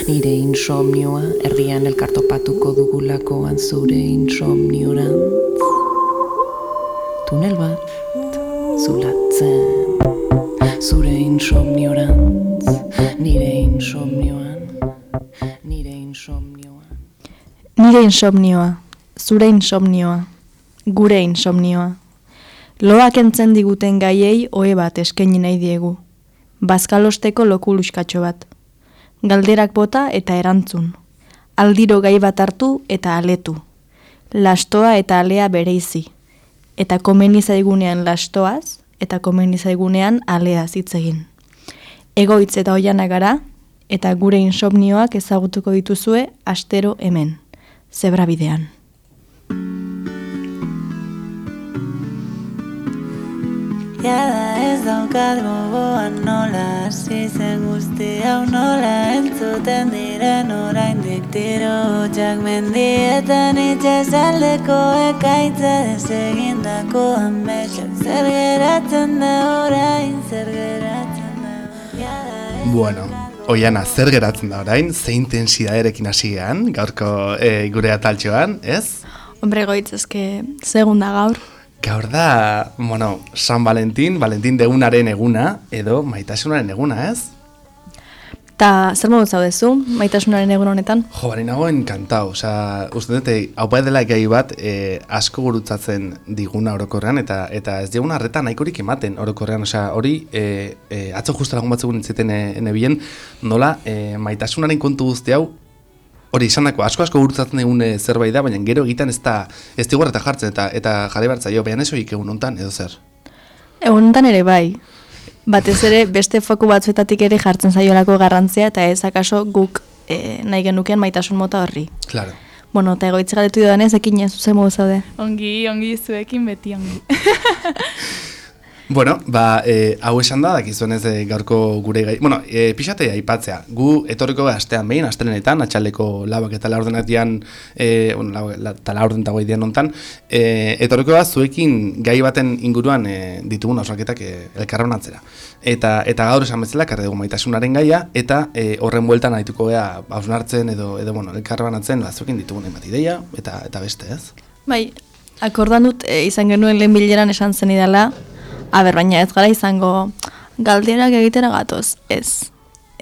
nire insomnioa, herrian elkartopatuko dugulakoan zure insomniorantz. Tunel bat, zulatzen, zure insomniorantz, nire insomnioan, nire insomnioan. Nire insomnioa, zure insomnioa, gure insomnioa. Loak entzen diguten gaiei ohe bat eskaini nahi diegu. Bazkalosteko lokuluskatxo bat. Galderak bota eta erantzun. Aldiro gai bat hartu eta aletu. Lastoa eta alea bereizi. Eta komeni zaigunean lastoaz, eta komeni zaigunean aleaz hitz egin. Egoitz eta oianak gara, eta gure insomnioak ezagutuko dituzue astero hemen. Zebrabidean. Jada ez daukat gogoan nola hasi zen guzti hau nola entzuten diren oraindik tiro hotxak mendietan itxasaldeko ekaitza desegindako ametsa. Zer geratzen da orain, zer geratzen da. Bueno, Oiana, zer geratzen da orain, ze intensidaderekin hasi gean, gaurko gure ataltxoan, ez? Hombre, goitz, eske, segunda gaur. Gaur da, bueno, San Valentin degunaren eguna, edo maitasunaren eguna, ez? Ta zer modu zaudezu, maitasunaren egun honetan? Jo, bari nago enkantau, osea, uste dute, hau dela gai bat asko gurutzatzen diguna orokorrean, eta ez diguna arreta nahikorik ematen orokorrean, osea, hori, atzo justu lagun batzuk nintzeten nebien, nola, maitasunaren kontu guzti hau, hori izan dako, asko gurutzatzen egun zerbait da, baina gero egiten ez digu eta jartzen, eta jarri bartzaio, behan ez horik egun hontan, edo zer? Egun hontan ere bai. Batez ere beste foku batzuetatik ere jartzen zaiolako garrantzia, eta ez akaso guk nahi genukean maitasun mota horri. Claro. Bueno, eta egoitze galetu dudanez, ekin ez zuzen modu zaude. Ongi, zuekin beti ongi. Bueno, hau esan da, dakizuenez gaurko gure gai... Bueno, pixate aipatzea. Gu etorriko astean behin, astelenetan, atxaldeko labak eta laurdenak dian, eta laurden eta goi dian nontan, etorriko da zuekin gai baten inguruan ditugun hausraketak elkarronatzera. Eta gaur esan bezala, karre dugu maitasunaren gaia, eta horren bueltan ahituko gea hausnartzen edo elkarronatzen zuekin ditugun emat ideia, eta beste, ez? Bai, akordan dut izan genuen lehen bileran esan zen idala, baina ez gara izango galderak egitera gatoz, ez.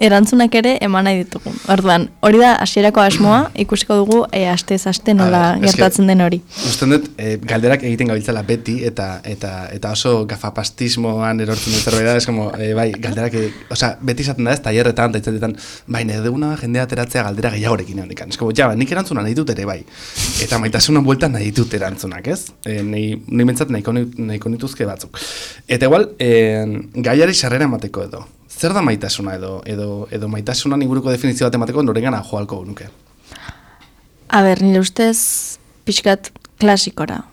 Erantzunak ere eman nahi ditugu. Orduan, hori da hasierako asmoa, ikusiko dugu astez aste nola gertatzen den hori. Usten dut, galderak egiten gabiltzala beti, eta oso gafapastismoan erortzen dut zerbait da, ez como, bai, galderak, beti izaten da ez, taierretan, eta itzatetan, bai, nire duguna jendea ateratzea galdera gehiagorekin egon. Ez como, nik erantzuna nahi dut ere, bai. Eta maitasunan bueltan nahi dut erantzunak, ez? Nahi bentsat nahiko nituzke batzuk. Eta igual, gaiari sarrera emateko edo. Zer da maitasuna edo maitasunan inguruko definizio bat emateko norengana joalko nuke? Nire ustez pixkat klasikora.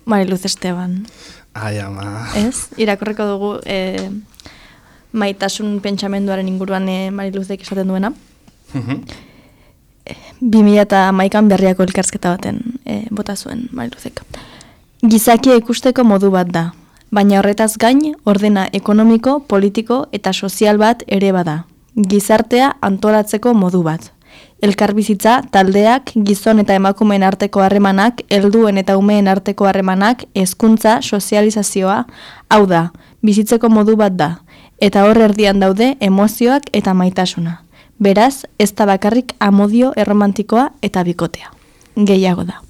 Mariluz Esteban. Ai, ama. Ez? Irakorreko dugu maitasun pentsamenduaren inguruan Mariluzek esaten duena. 2011an Berriako elkarrizketa baten bota zuen Mariluzek. Gizakia ikusteko modu bat da. Baina horretaz gain, ordena ekonomiko, politiko eta sozial bat ere bada. Gizartea antolatzeko modu bat. Elkarbizitza, taldeak, gizon eta emakumeen arteko harremanak, helduen eta umeen arteko harremanak, hezkuntza, sozializazioa, hau da, bizitzeko modu bat da. Eta hor erdian daude emozioak eta maitasuna. Beraz, ez da bakarrik amodio erromantikoa eta bikotea. Gehiago da.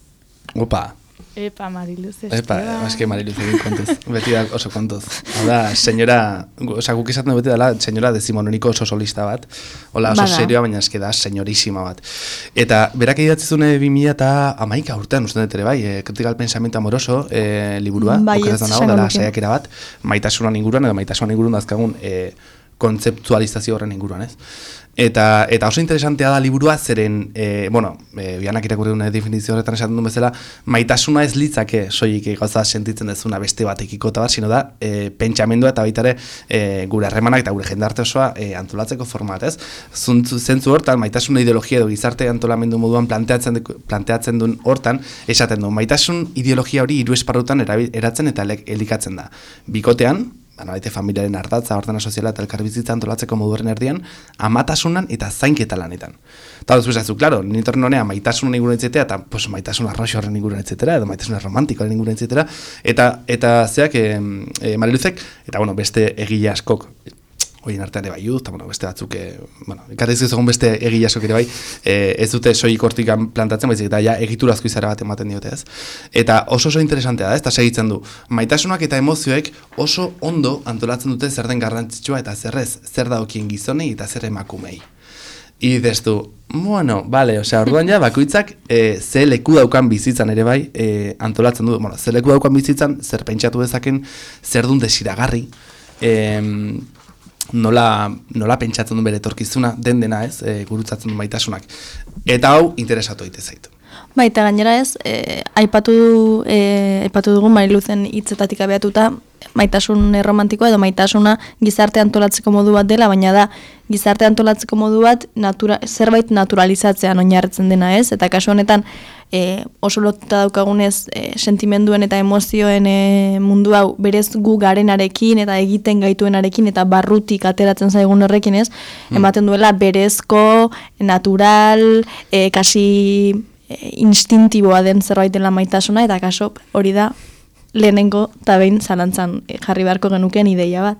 Opa! Epa, Mariluz Esteban. Eske Mariluz egin kontuz. Beti da oso kontuz. Hau da, senyora, guk izaten beti dela, senyora dezimononiko oso solista bat. Hola, oso serioa, baina eske da, senyorísima bat. Eta, berak idatzizune 2011 urtean, usten dut ere bai, Kritikal Pensamiento Amoroso liburua, okeraz da nago, dela saiakera bat, maitasunan inguruan, edo maitasunan inguruan dazkagun kontzeptualizazio horren inguruan, ez? Eta oso interesantea da liburua, zeren, bianak irakurri dune definizio horretan esaten duen bezala, maitasuna ez litzake soilik gauza sentitzen dezuna beste batekiko eta bat, sino da, pentsamendua eta baita ere gure harremanak eta gure jendarte osoa antolatzeko format, ez? Zentzu hortan, maitasuna ideologia edo gizarte antolamendu moduan planteatzen duen hortan, esaten du, maitasun ideologia hori hiru esparrutan eratzen eta elikatzen da. Bikotean, Nabaite familiaren ardatza, ordena soziala eta elkarbizitza antolatzeko moduaren erdian, amatasunan eta zainketa lanetan. Eta dut zuzazu, klaro, nintorren honea maitasunan inguruan etxetea, eta pues, maitasun arroxo horren inguruan etxetera, edo maitasun romantikoaren inguruan etxetera, eta zeak, Mariluzek, eta bueno, beste egile askok, horien artean ere bai eta bueno, beste batzuk, ekarriz egon beste egile askok ere bai, ez dute soilik hortik plantatzen, baizik eta ja egiturazko izara bat ematen diote ez. Eta oso interesantea da, ez da segitzen du. Maitasunak eta emozioek oso ondo antolatzen dute zer den garrantzitsua eta zerrez, zer daukien gizonei eta zer emakumei. I destu, bueno, vale, orduan ja, bakoitzak ze leku daukan bizitzan ere bai, antolatzen du, bueno, ze leku daukan bizitzan, zer pentsatu dezaken, zer dun desiragarri, nola pentsatzen du bere etorkizuna, dena ez, gurutzatzen du maitasunak. Eta hau, interesatu daite zaitu. Baita gainera ez, aipatu dugu Mariluzen hitzetatik abiatuta, maitasun romantikoa edo maitasuna gizarte antolatzeko modu bat dela, baina da gizarte antolatzeko modu bat zerbait naturalizatzean oinarritzen dena ez, eta kasu honetan oso lotuta daukagunez sentimenduen eta emozioen mundu hau berez gu garenarekin eta egiten gaituenarekin eta barrutik ateratzen zaigun horrekin ez, ematen duela berezko, natural, kasi instintiboa den zerbait dela maitasuna, eta kaso hori da lehenengo eta behin zalantzan jarri beharko genuken ideia bat.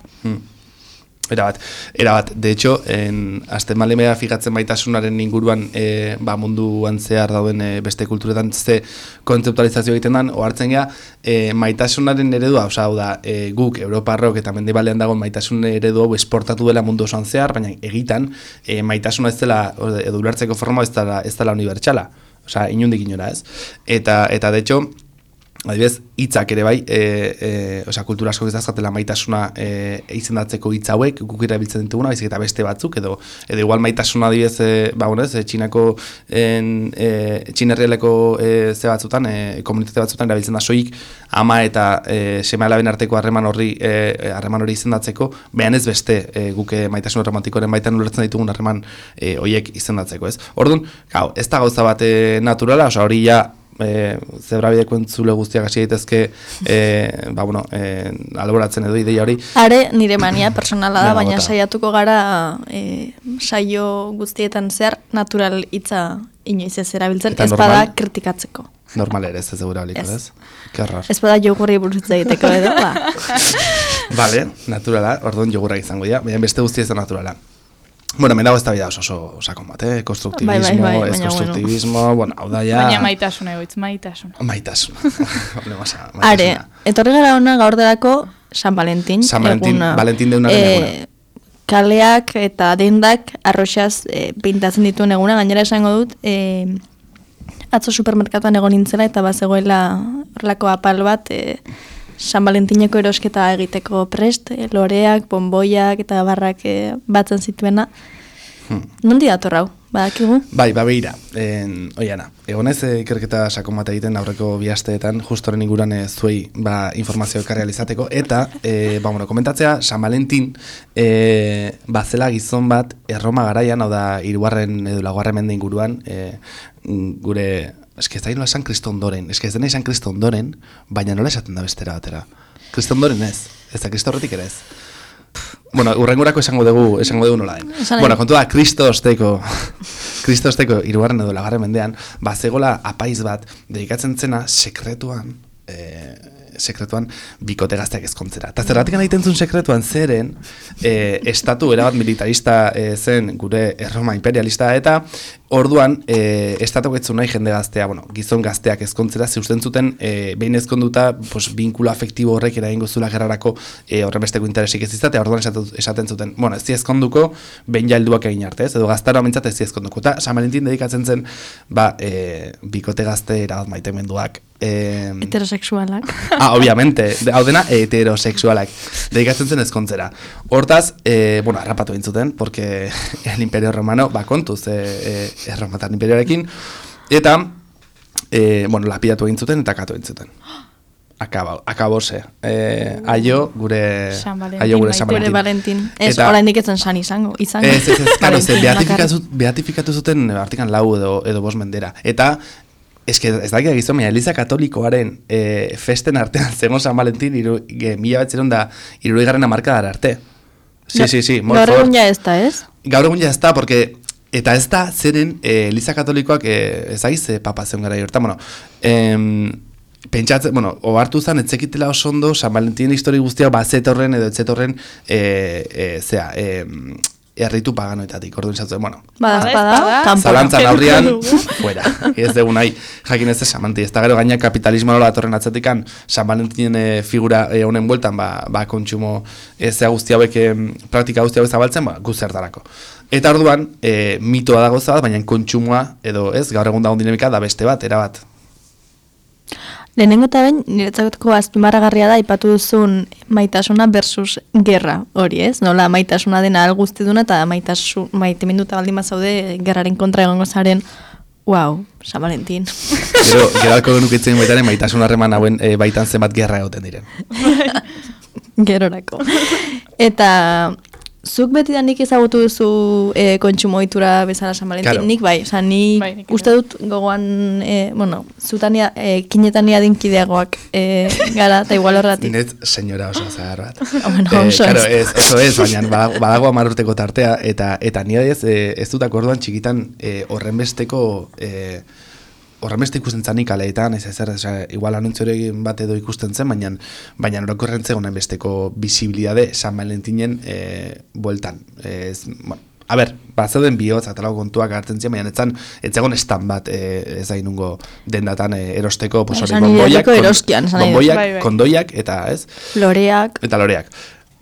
Era bat. De hecho, azten malemea fijatzen maitasunaren inguruan munduan zehar dauden beste kulturetan ze kontzeptualizazio egiten den, ohartzen gea, maitasunaren eredua, hau da, guk, Europarrok eta mendebalean dagoen maitasun eredu hau esportatu dela mundu osoan zehar, baina egitan, maitasuna ez dela, edo ulertzeko forma ez dela unibertsala. Osea, inundik inora ez. Eta de hecho, adibidez, hitzak ere bai, kultura asko ez dazkatela maitasuna izendatzeko hitz hauek, guk erabiltzen dituguna, baizik eta beste batzuk, edo igual maitasuna adibidez, Txinako, Txinerrialeko ze batzutan, komunitate batzutan erabiltzen da soik, ama eta seme alaben arteko harreman hori izendatzeko, behan ez beste guk maitasun romantikoaren baitan ulertzen ditugun harreman horiek izendatzeko, ez? Orduan, ez da gauza bat naturala, hori ja, zebrabideko entzule guztiak hasi daitezke elaboratzen edo ideia hori. Are nire mania personala da, baina saiatuko gara saio guztietan zehar natural hitza inoiz ez erabiltzen, ez bada kritikatzeko. Normal ere ez erabiliko, ez? Kerrar. Ez bada jogurri buruz egiteko edo, ba. Vale, naturala, orduan jogurra izango dira, baina beste guztia ez da naturala. Bueno, mendago ez da bida oso sakon bat, konstruktivismo, ez konstruktivismo, bueno, hau da ja... Baina maitasuna egoitz, maitasuna. Are, etorri gara hona gaur delako San Valentin. San Valentin, Valentin deunaren eguna. Kaleak eta dendak arroxaz pintatzen dituen eguna, gainera esango dut, atzo supermerkatuan egon nintzela eta bazegoela horrelako apal bat, San Valentineko erosketa egiteko prest, loreak, bonboiak eta barrak batzen zituena. Nondi dator hau, badakigu? Bai, babeira, oiana, egonez ikerketa sakon bat egiten aurreko bi asteetan, justoren inguruan zuei informazio ekarri alizateko, eta, komentatzea, San Valentin bazela gizon bat Erroma garaian, hau da, 3. edo 4. mende inguruan, gure... Ez da nola esan Kristo ondoren, ez dena esan Kristo ondoren, baina nola esaten da bestera batera. Kristo ondoren ez da Kristo horretik ere ez. Bueno, urrengurako esango dugu nola den. Bueno, kontu da, Kristo osteko 3. edo 4. mendean, bazegola apaiz bat, dedikatzen zena sekretuan bikote gazteak ezkontzera. Eta zerratik egiten zuen sekretuan zeren, estatu erabat militarista zen gure Erroma imperialista, eta orduan, estatuak ez zuen nahi jende gaztea, gizon gazteak ezkontzera, zeusten zuten, behin ezkonduta, binkulu afektibo horrek eragingo zula gerrarako horren besteko interesik ez izatea, orduan esaten zuten, ez ezkonduko, behin jailduak egin arte, edo gaztara mentzat ez ezkonduko. Eta San Valentin dedikatzen zen, bikote gazte erabat maitemenduak, heterosexualak. Obviamente, hau dena heterosexualak. Dedikatzen zen ezkontzera. Hortaz, harrapatu bintzuten, porque el Imperio Romano, kontuz, Erromatar Imperioarekin, eta, lapidatu egintzuten eta katu egintzuten. Akabose. Aio gure San Valentin. Ez, orain diketzen san izango. Ez, beatifikatu zuten artikan 4 edo 5 mendera. Eta, ez dakit gizon, Eliza Katolikoaren festen artean zegoen San Valentin 1960 hamarkadara arte. Sí, gaur egun ja ez da, ez? Gaur egun ja ez da, porque eta ez da zeren Eliza Katolikoak ezagiz papa zeun gara hortan, pentsatzen, ohartu zen, etzekitela oso ondo San Valentin histori guztiak bazetorren edo etzetorren erritu paganoetatik, orduan zatzen, Bada, zalantzan aurrian, fuera, ez dugu nahi, jakin ez esamanti, ez da gero gaina kapitalismo nola atorren atzetikan, San Valentin figura honen bueltan, kontsumo zea guzti hauek, praktika guzti hauek zabaltzen, guzertarako. Eta orduan, mitoa dago zabat, baina kontsumoa, edo ez, gaur egun dagoen dinamika da beste bat, erabat. Lehenengo eta behin, niretzako azpimarragarria da, ipatu duzun maitasuna versus gerra hori, ez? Nola maitasuna dena alguztiduna eta maiteminduta baldin bazaude gerraren kontra egongo zaren, wow, San Valentin. Gero alko genukitzen baitaren maitasun harreman hauen baitan zenbat gerra egoten diren. Gerorako. Eta zuk beti da nik ezagutu duzu kontsumo ohitura bezala San Valentin, claro. Nik bai, nik uste dut gogoan, zutania, kinetania dinkideagoak gara, eta igual horretik. Net, senyora oso zahar bat. Oso claro, oso ez, baina badago 10 urteko tartea, eta nire ez dutak orduan txikitan horrenbesteko ikusten zanik aleetan, igual anuntziorekin bat edo ikusten zen, baina orokorren zegoen besteko visibilidade San Valentinen bueltan. A ber, bazeuden bihotz, atalago kontuak hartzen ziren, baina ez zegoen stand bat ez da inungo dendatan erosteko, bomboiak, kondoiak, eta ez? Loreak. Eta loreak.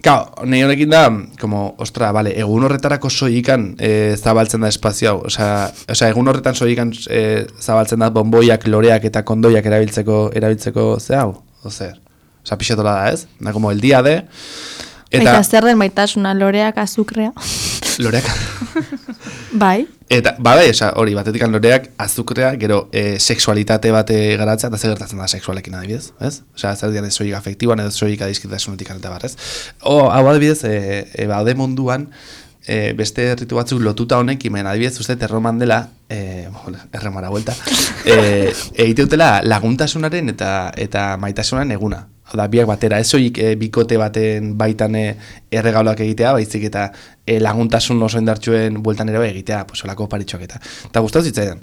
Kao, nahi honekin da, egun horretarako soikan zabaltzen da espazio hau. Osea, egun horretan soikan zabaltzen da bomboiak, loreak eta kondoiak erabiltzeko ze hau? Ozer, pixetola da, ez? Da, como el día de... Eta zer den maitasuna, loreak, azukrea? Loreak... Bai. Eta, hori, batetik loreak, azukrea, gero sexualitate bate garatzea, eta zer gertatzen da sexualekin adibidez, ez? Osea, zer dian ez soik afektiboan, edo soik adiskitasunetik eta barrez. Hau adibidez, baude munduan, beste ritu batzuk lotuta honekin, adibidez, uste erroman dela, erremara vuelta, egiteutela laguntasunaren eta maitasunaren eguna. Da, biak batera, ez soik bikote baten baitan erregaulak egitea, baizik eta laguntasun oso indartsuen bueltan ere bai egitea, olako paritxoak eta. Eta gustatu zitzaidan,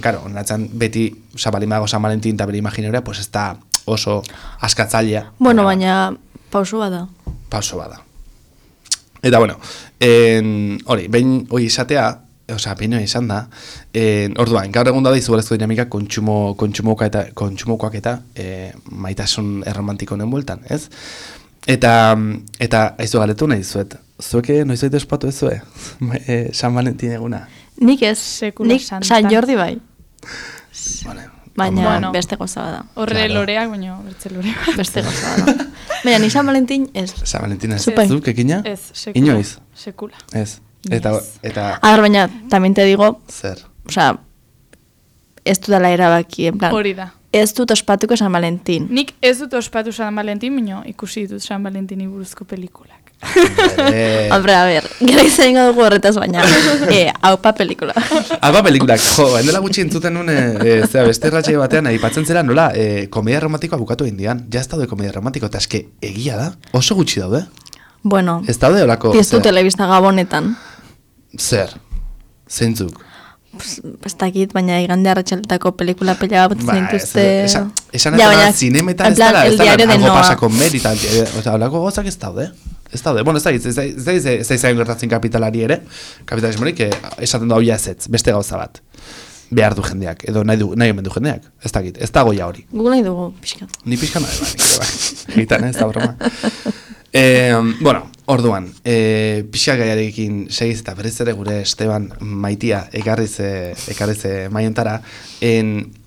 karo, onatzen beti sabalimago San Valentin eta bere imaginerea, ez da oso askatzailea. Bueno, baina pauso bada. Eta, hori, behin hori izatea, behin hori izan da, orduan, gaur egun da izugarrizko dinamika kontsumokoak eta maitasun erromantiko honen bueltan, ez? Eta aizu galetu nahi zuet, zueke noiz baita espatu ez zue, San Valentin eguna? Nik ez, nik San Jordi bai. Baina beste goza bada. Horre loreak, baina bertze loreak. Beste goza bada. Baina ni San Valentin ez. San Valentin ez, zuk ekina? Ez, sekula. Inoiz? Sekula. Ez. Eta... A ver, baina, también te digo... Zer? Osea, ez dudala erabaki, en plan... Hori da. Ez dut ospatuko San Valentin. Nik ez dut ospatu San Valentin, baina ikusi ditut San Valentini buruzko pelikulak. Hombre, a ver, gara izan dugu horretaz baina. Aupa pelikula. Aupa pelikulak. Jo, endela gutxi entzuten nun, beste erratxai batean, aipatzen zera nola, komedia romantikoa bukatu egin dian. Ja ez daude komedia romantiko, eta eske egia da, oso gutxi daude. Bueno, ez daude olako... Piztu telebista gabonetan. Zer? Zeintzuk? Ez dakit, baina igande arratxaletako pelikula pela bat zintuzte... Esan ez zinemetan ez dara algo pasako meritan. Olako gozak ez daude. Ez daude. Bueno, ez da izan gertatzen kapitalari ere. Kapitalismorik esaten da hoia ezetz, beste gauza bat. Behar du jendeak, edo nahi omen du jendeak. Ez dakit, ez da goia hori. Gu nahi dugu, pixkat. Ni pixkan nahi bai. Egitan, ez da broma. Bueno, orduan, pixka gaiarekin segiz eta berriz ere gure Esteban Maitia ekarriz maiontara,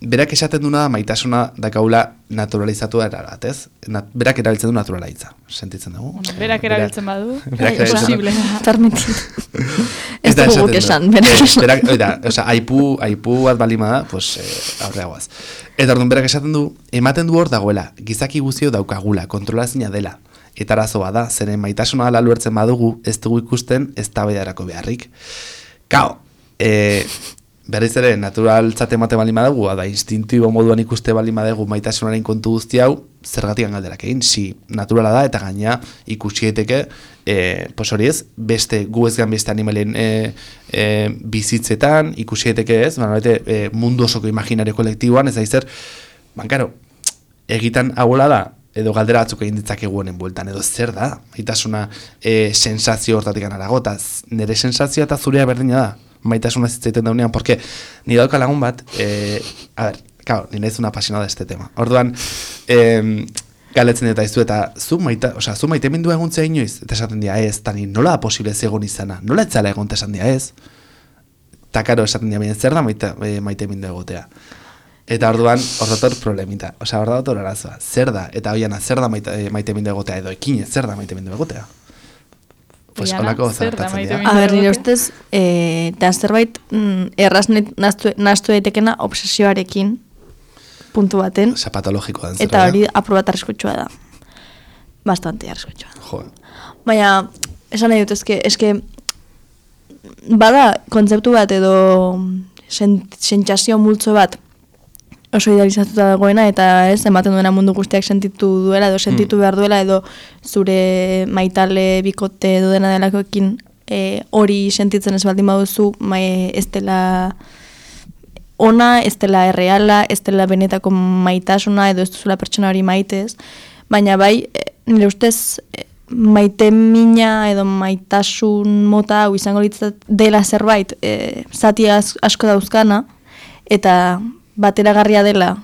berak esaten duna maitasuna dakaula naturalizatu erabat, ez? Berak erabiltzen du naturalaitza, sentitzen dugu? Bueno, berak erabiltzen badu, posible. Permitit. Ez dugu guk esan, berak. Oida, aipu bat balima da, aurreagoaz. Eta orduan, berak esaten du, ematen du hor dagoela, gizaki guztio daukagula, kontrolazina dela. Eta arazoa da, zeren maitasuna ala luertzen badugu, ez dugu ikusten ez tabaidarako beharrik. Kao, berriz ere, naturaltzat emate bali madegu, da instintibo moduan ikuste bali madegu maitasunaren kontu guzti hau, zergatik galderak egin, si naturala da, eta gaina ikusi daiteke, pues hori ez, beste gu ez gan beste animalien bizitzetan, ikusi daiteke ez, mundu osoko imaginario kolektiboan, ez da izer, bankaro, egitan hauela da, edo galdera batzuk egin ditzakegu honen bueltan, edo zer da, maitasuna sensazio hortatik anarago, eta nire sensazioa eta zurea berdina da, maitasuna zitzaiten daunean, porque ni dauka lagun bat, a ver, claro, ni naiz una apasionada de este tema. Orduan, galetzen eta izu, eta zu maite mindu eguntzea inoiz, eta esaten dia ez, eta ni nola da posible zegoen izana, nola etzala egon esan dia ez, eta karo esaten dia bine, zer da maite mindu egotea. Eta orduan, hor dator problemita, hor dator arazoa, zer da, eta hoiana, zer da maite mindu egotea, edo ekinez, zer da maite mindu egotea. Pues holako zartatzen dira. A ber, nire ustez, eta zerbait erraz nahastu daitekena obsesioarekin puntu baten. Osa patologikoa den zerbait. Eta hori aprobat arriskutsua da. Bastante arriskutsua. Jo. Baina, esan nahi dut, eske bada kontzeptu bat edo sentsazio multzo bat oso idealizatuta dagoena, eta ez, ematen duena mundu guztiak sentitu duela, edo sentitu behar duela, edo zure maitale bikote edo dena delakoekin hori sentitzen ez baldin baduzu, ez dela ona, ez dela erreala, ez dela benetako maitasuna, edo ez duzula pertsona hori maitez, baina bai, nire ustez, maite mina edo maitasun mota hau izango litzat dela zerbait, zati asko dauzkana, eta bateragarria dela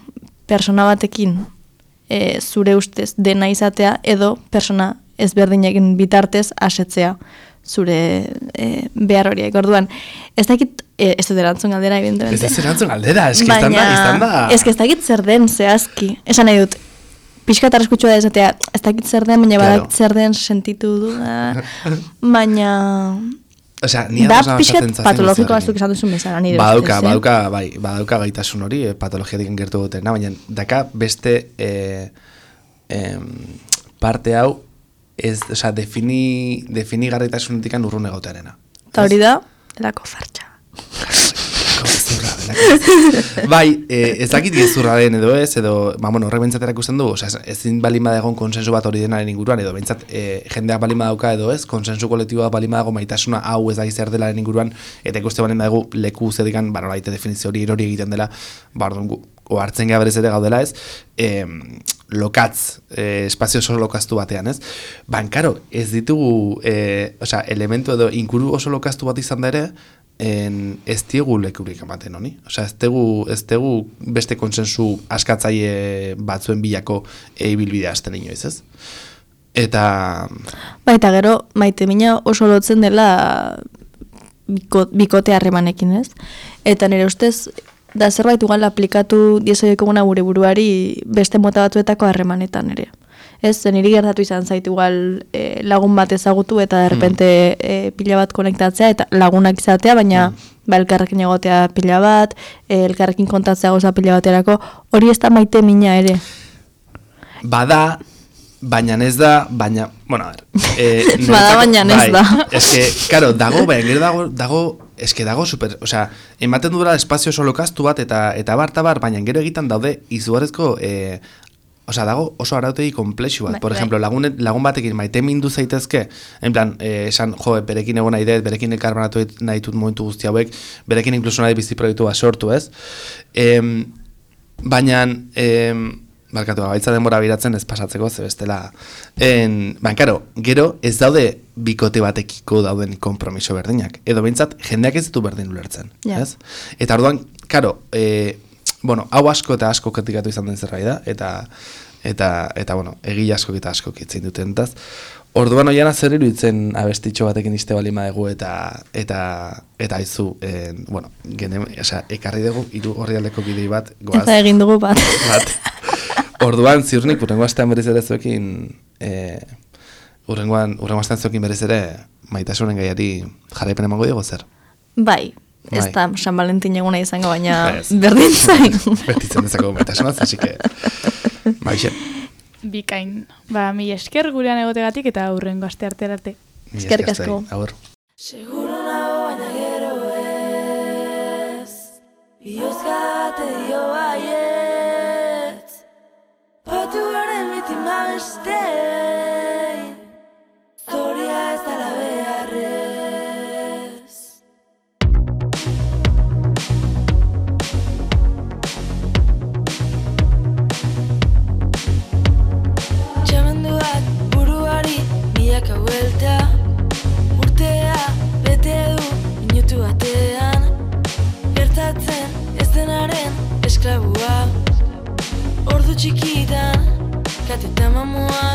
persona batekin zure ustez dena izatea, edo persona ezberdinekin bitartez asetzea zure behar horiek. Orduan, ez dakit, ez dut erantzun galdera, evidentemente. Ez erantzun galdera, eski izan da. Ez dakit zer den zehazki. Esan nahi dut, pixka tarraskutsua da esatea, ez dakit zer den, baina badakit zer den sentitu du, baina... Osea, ni da pixkat patologiko bazuk esan duzun bezala, nire badauka gaitasun hori, patologiatik gertu dutena, baina daka beste parte hau, osea, defini garritasunetik urrun egotearena. Eta hori da, delako fartxa. Bai, ez dakit gezurra den edo ez, edo, horrek bentsaterak ikusten du, ezin balin badagon konsensu bat hori denaren inguruan, edo bentsat jendeak balin badauka edo ez, konsensu kolektiboa balin badago maitasuna hau ez da izer delaren inguruan, eta ikuste balin badago leku zedikan, nolaite definizio hori erori egiten dela, hartzen geha berez ere gaudela ez, lokatz, espazio oso lokaztu batean ez, karo, ez ditugu, elementu edo inkuru oso lokaztu bat izan da ere, ez diegu lekurik ematen honi. Osea, ez tegu beste konsensu askatzaile batzuen bilako ibilbidea hasten inoiz, ez? Eta gero, maite mina oso lotzen dela bikote harremanekin, ez? Eta nire ustez, da zerbait ugal aplikatu diezoiekoguna gure buruari beste mota batzuetako harremanetan ere. Ez, niri gertatu izan zait igual lagun bat ezagutu eta derrepente pila bat konektatzea eta lagunak izatea, baina elkarrekin egotea pila bat, elkarrekin kontatzea goza pila baterako, hori ez da maite mina ere. Bada, baina ez da, baina, a ver. Bada, baina ez da. Eske, karo, dago super, osea, ematen dura espazio oso lokaztu bat eta bar, baina gero egiten daude izugarrezko dago oso arautegi komplexu bat. Por ejemplo, lagun batekin maite mindu zaitezke, en plan, esan, berekin egon nahi dut, berekin elkarbanatu nahi dut momentu guzti hauek, berekin inkluso nahi bizi proiektu bat sortu, ez? Baina, barkatu, gaitza denbora biratzen ez pasatzeko, ze bestela. Karo, gero ez daude bikote batekiko dauden konpromiso berdinak. Edo behintzat, jendeak ez ditu berdin ulertzen, ez? Eta orduan, karo, hau asko eta asko kritikatu izan den zerbait da, eta egile asko eta asko kitzein duten entaz. Orduan oiana zer iruditzen abestitxo batekin iste bali madegu eta izu, ekarri dugu hiru orrialdeko bidei bat, goaz. Eta egin dugu bat. Orduan ziurnik, urrengo astean berriz ere zuekin, urrengo astean zuekin berriz ere maitasunen gaiari jarraipen emango diego zer? Bai. Ez da San Valentin eguna izango, baina berdin zain. Bertitzen dezako metasunaz, así que... Baixe. Bikain. Mi esker gurean egotegatik eta hurrengo aste arte. Eskerrik asko. Agur. Seguro nago baina gero ez. bate dio baietz. Batu garen bitima bestein, zoria ez dala beharrez. Txamenduak buruari milaka buelta, urtea bete du minutu batean, gertatzen ez denaren esklabua. Ordu txikitan, kateta mamua